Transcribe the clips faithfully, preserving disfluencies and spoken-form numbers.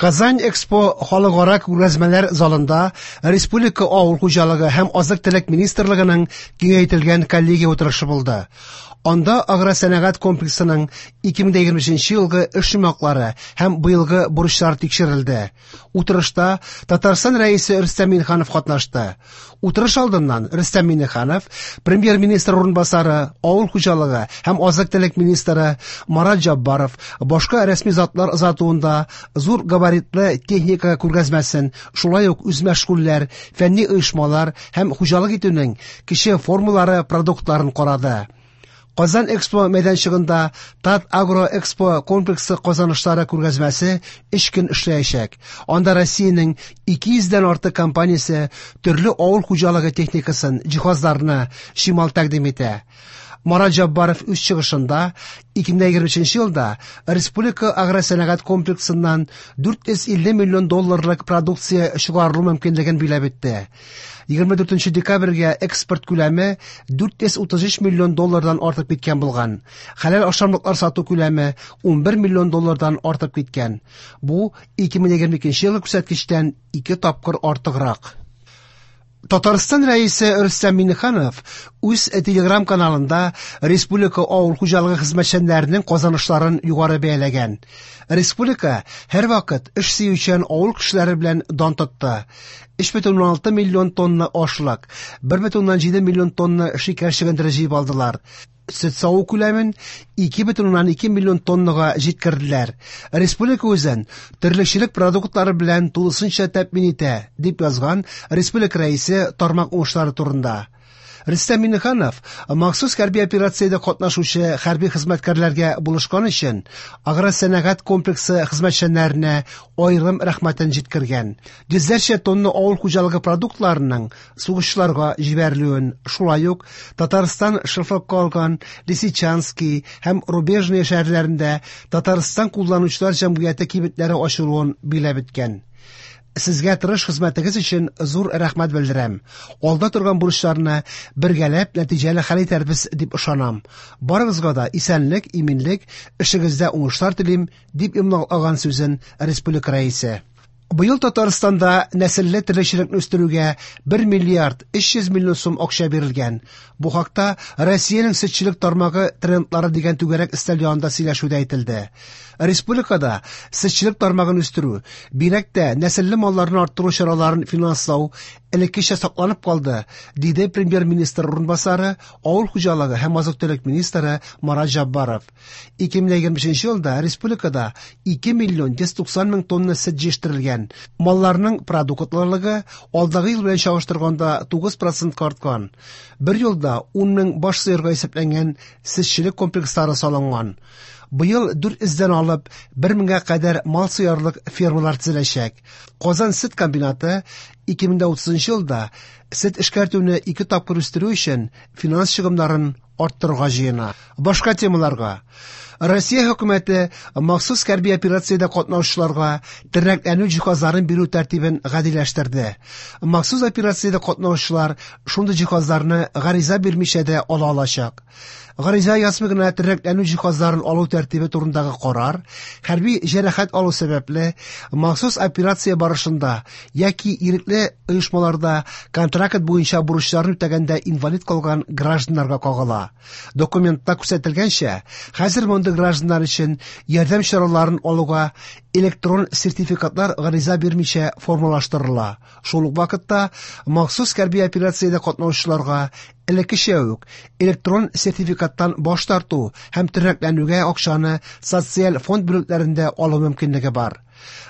Казань Экспо халыкара күргәзмәләр залында Республика авыл хуҗалыгы һәм азык-төлек министрлыгының киңәйтелгән коллегия утырышы булды. Анда агросәнәгать комплексының ике мең егерме өченче елгы эш йомгаклары һәм быелгы бурычлар тикшерелде. Утырышта Татарстан Рәисе Рөстәм Миңнеханов катнашты. Утырыш алдыннан Рөстәм Миңнеханов премьер-министр урынбасары, авыл хуҗалыгы һәм азык-төлек министры Марат Җаббаров башка рәсми затлар озатуында зур габаритлы техника күргәзмәсен, шулай ук үзмәшгульләр, фәнни оешмалар һәм хуҗалык итүнең кече формалары продуктларын карады. Казан Экспо мәйданчыгында Тат Агро Экспо комплексы казанышлары күргәзмәсе өч көн эшләячәк. Анда Россиянең ике йөздән артык компаниясе төрле авыл хуҗалыгы техникасын, җиһазларны, чимал тәкъдим итә. Марат Җаббаров үз чыгышында ике мең егерме өченче елда Республика агросәнәгать комплексыннан дүрт йөз илле миллион долларлык продукция чыгарылу мөмкинлеген биләп үтте. Егерме дүртенче декабрьгә экспорт күләме дүрт йөз утыз өч миллион доллардан артып киткән булган. Хәләл ашамлыклар сату күләме ун бер миллион доллардан артып киткән. Бу ике мең егерме икенче елгы күрсәткечтән ике тапкыр артыграк. Татарстан Рәисе Рөстәм Миңнеханов үз Телеграм каналында республика авыл хуҗалыгы хезмәтчәннәренең казанышларын югары бәяләгән. Республика һәрвакыт эш сөючән авыл кешеләре белән дан тотты. Өч бөтен уннан алты миллион тонна ашлык, бер бөтен уннан җиде миллион тонна шикәр чөгендере җыеп алдылар. Сөт саву күләмен ике бөтен уннан ике миллион тоннага җиткерделәр. Республика үзен терлекчелек продуктлары белән тулысынча тәэмин итә, дип язган республика рәисе тармак уңышлары турында. Рөстәм Миңнеханов махсус хәрби операциядә катнашучы хәрби хезмәткәрләргә булышкан өчен агросәнәгать комплексы хезмәтчәннәренә аерым рәхмәтен җиткергән. Йөзләрчә тонна авыл хуҗалыгы продуктларының сугышчыларга җибәрелүен, шулай ук Татарстан шефлыкка алган Лисичанский һәм Рубежный шәһәрләрендә Татарстан кулланучылар җәмгыяте кибетләре ачылуын биләп үткән. Сезгә тырыш хезмәтегез өчен зур рәхмәт белдерәм. Алда торган бурычларны бергәләп нәтиҗәле хәл итәрбез дип ышанам. Барыгызга да исәнлек, иминлек, эшегездә уңышлар телим, дип йомгаклаган сүзен республика рәисе. Быел Татарстанда нәселле терлекчелекне үстерүгә бер миллиард өч йөз миллион сум акча бирелгән. Бу хакта Россиянең сөтчелек тармагы трендлары дигән түгәрәк өстәл янында сөйләшүдә әйтелде. Республикада сөтчелек тармагын үстерү, бигрәк тә нәселле малларны арттыру чараларын финанслау элеккечә сакланып калды, диде премьер-министр урынбасары, авыл хуҗалыгы һәм азык-төлек министры Марат Җаббаров. Ике мең егерме өченче елда республикада ике миллион йөз туксан мең тонна сөт җитештерелгән. Малларның продуктлылыгы алдагы ел белән чагыштырганда тугыз процентка арткан. Бер елда ун мең баш сыерга исәпләнгән сөтчелек комплекслары салынган. Быел дүрт йөздән алып бер меңгә кадәр мал сыярлык фермалар төзеләчәк. Казан сөт комбинаты ике мең утызынчы елда сөт эшкәртүне ике тапкыр үстерү өчен финанс чыгымнарын арттырырга җыена. Башка темаларга. Россия хөкүмәте махсус хәрби операциядә катнашучыларга тернәкләнү җиһазларын бирү тәртибен гадиләштерде. Махсус операциядә катнашучылар шундый җиһазларны гариза бирмичә дә ала алачак. Гариза язмый гына тернәкләнү җиһазларын алу тәртибе турындагы карар хәрби җәрәхәт алу сәбәпле махсус операция барышында яки ирекле оешмаларда контракт буенча бурычларын үтәгәндә инвалид калган гражданнарга кагыла. Документта күрсәтелгәнчә, хәзер мондый гражданнар өчен ярдәм чараларын алуга электрон сертификатлар гариза бирмичә формалаштырыла. Шул ук вакытта махсус хәрби операциядә катнашучыларга элеккечә үк электрон сертификаттан баш тарту һәм тернәкләнүгә акчаны социаль фонд бүлекләрендә алу мөмкинлеге бар.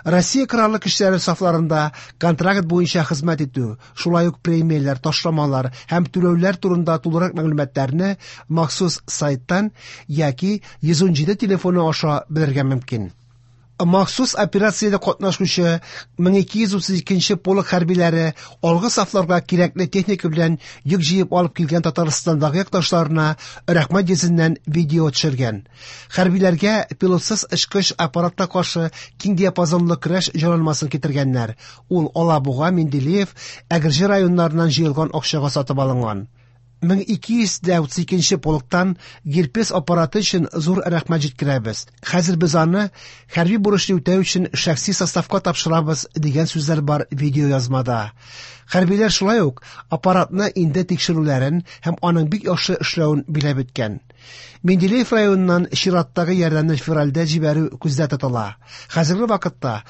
Россия Кораллы көчләре сафларында контракт буенча хезмәт итү, шулай ук премияләр, ташламалар һәм түләүләр турында тулырак мәгълүматларны махсус сайттан яки йөз ун җиде телефоны аша белергә мөмкин. Махсус операциядә катнашучы мең ике йөз утыз икенче полк хәрбиләре алгы сафларга кирәкле техника белән йөк җыеп алып килгән Татарстандагы якташларына рәхмәт йөзеннән видео төшергән. Хәрбиләргә пилотсыз очкыч аппаратка каршы киң диапазонлы көрәш җайланмасын китергәннәр. Ул Алабуга, Менделеев, Әгерҗе районнарыннан җыелган акчага сатып алынган. мең ике йөз дә утыз икенче полктан Герпес аппараты өчен зур рәхмәт җиткерәбез. Хәзер без аны хәрби бурычны үтәү өчен шәхси составка тапшырабыз, дигән сүзләр бар видеоязмада. Хәрбиләр шулай ук аппаратны инде тикшерүләрен һәм аның бик яхшы эшләвен биләп үткән. Менделеев районыннан чираттагы ярдәмне февральдә җибәрү күздә тотыла. Хәзерге вакытта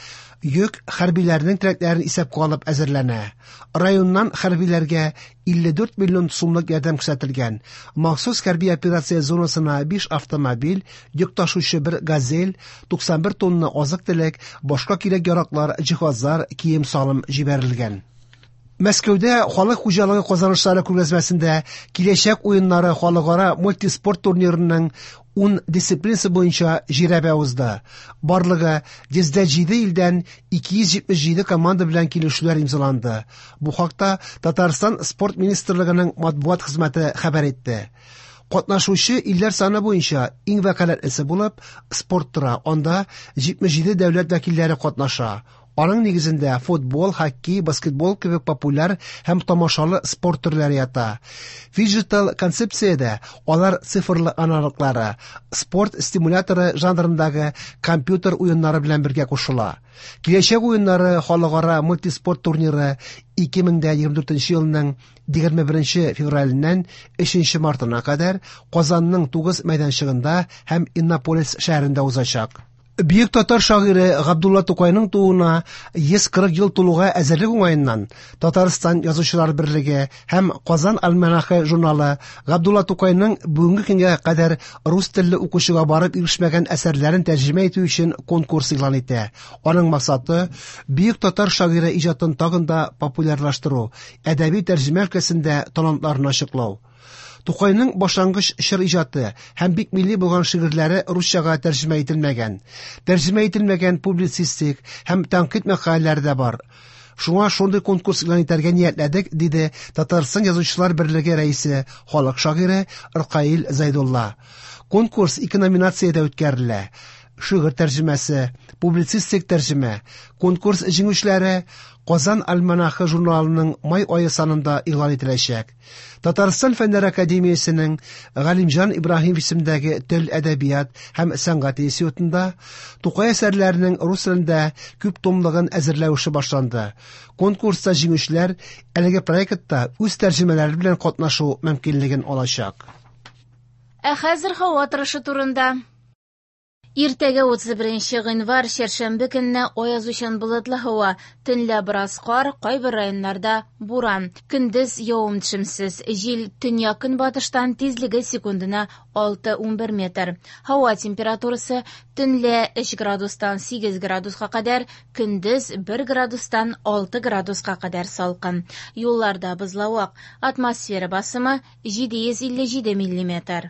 йөк хәрбиләрнең теләкләрен исәпкә алып әзерләнә. Районнан хәрбиләргә илле дүрт миллион сумлык ярдәм күрсәтелгән. Махсус хәрби операция зонасына биш автомобиль, йөк ташучы бер газель, туксан бер тонна азык-төлек, башка кирәк-яраклар, җиһазлар, кием-салым җибәрелгән. Мәскәүдә халык хуҗалыгы казанышлары күргәзмәсендә киләчәк уеннары халыкара мультиспорт турнирының ун дисциплинасы буенча жирәбә узды. Барлыгы йөздә җиде илдән ике йөз җитмеш җиде команда белән килешүләр имзаланды. Бу хакта Татарстан спорт министрлыгының матбугат хезмәте хәбәр итте. Катнашучы илләр саны буенча иң вәкаләтлесе булып спорт тора. Анда җитмеш җиде дәүләт вәкилләре катнаша. Аның нигезендә футбол, хоккей, баскетбол кебек популяр һәм тамашалы спорт төрләре ята. Фиджитал концепциядә алар цифрлы аналоглары, спорт стимуляторы жанрындагы компьютер уеннары белән бергә кушыла. Киләчәк уеннары халыкара мультиспорт турниры ике мең дә егерме дүртенче елның егерме беренче февраленнән өченче мартына кадәр Казанның тугыз мәйданчыгында һәм Иннополис шәһәрендә узачак. Бөек татар шагыйре Габдулла Тукайның тууына йөз кырык ел тулуга әзерлек уңаеннан Татарстан Язучылар берлеге һәм Казан альманахы журналы Габдулла Тукайның бүгенге көнгә кадәр рус телле укучыга барып ирешмәгән әсәрләрен тәрҗемә итү өчен конкурс игълан итә. Аның максаты бөек татар шагыйре иҗатын тагын да популярлаштыру, әдәби тәрҗемә өлкәсендә талантларын ачыклау. Тукайның башлангыч чор иҗаты һәм бик милли булган шигырьләре русчага тәрҗемә ителмәгән. Тәрҗемә ителмәгән публицистик һәм тәнкыйть мәкаләләре дә бар. Шуңа шундый конкурс игълан итәргә ниятләдек, диде Татарстан Язучылар берлеге рәисе, халык шагыйре Ркаил Зәйдулла. Конкурс ике номинациядә үткәрелә. Шигырь тәрҗемәсе, публицистик тәрҗемә. Конкурс җиңүчеләре Казан альманахы журналының май ае санында игълан ителәчәк. Татарстан Фәннәр Академиясенең Галимҗан Ибраһимов исемендәге тел, әдәбият һәм сәнгать институтында Тукай әсәрләренең рус телендә күп томлыгын әзерләү эше башланды. Конкурста җиңүчеләр әлеге проектта үз тәрҗемәләре белән катнашу мөмкинлеген алачак. Ә хәзер һава торышы турында. Иртәгә утыз беренче гыйнвар чәршәмбе көнне аязучан болытлы һава, төнлә бераз кар, кайбер районнарда буран. Көндез явым-төшемсез, җил төньяк-көнбатыштан тизлеге секундына алты ун бер метр. Һава температурасы төнлә өч градустан сигез градуска кадәр, көндез бер градустан алты градуска кадәр салкын. Юлларда бозлавык, атмосфера басымы җиде йөз илле җиде миллиметр.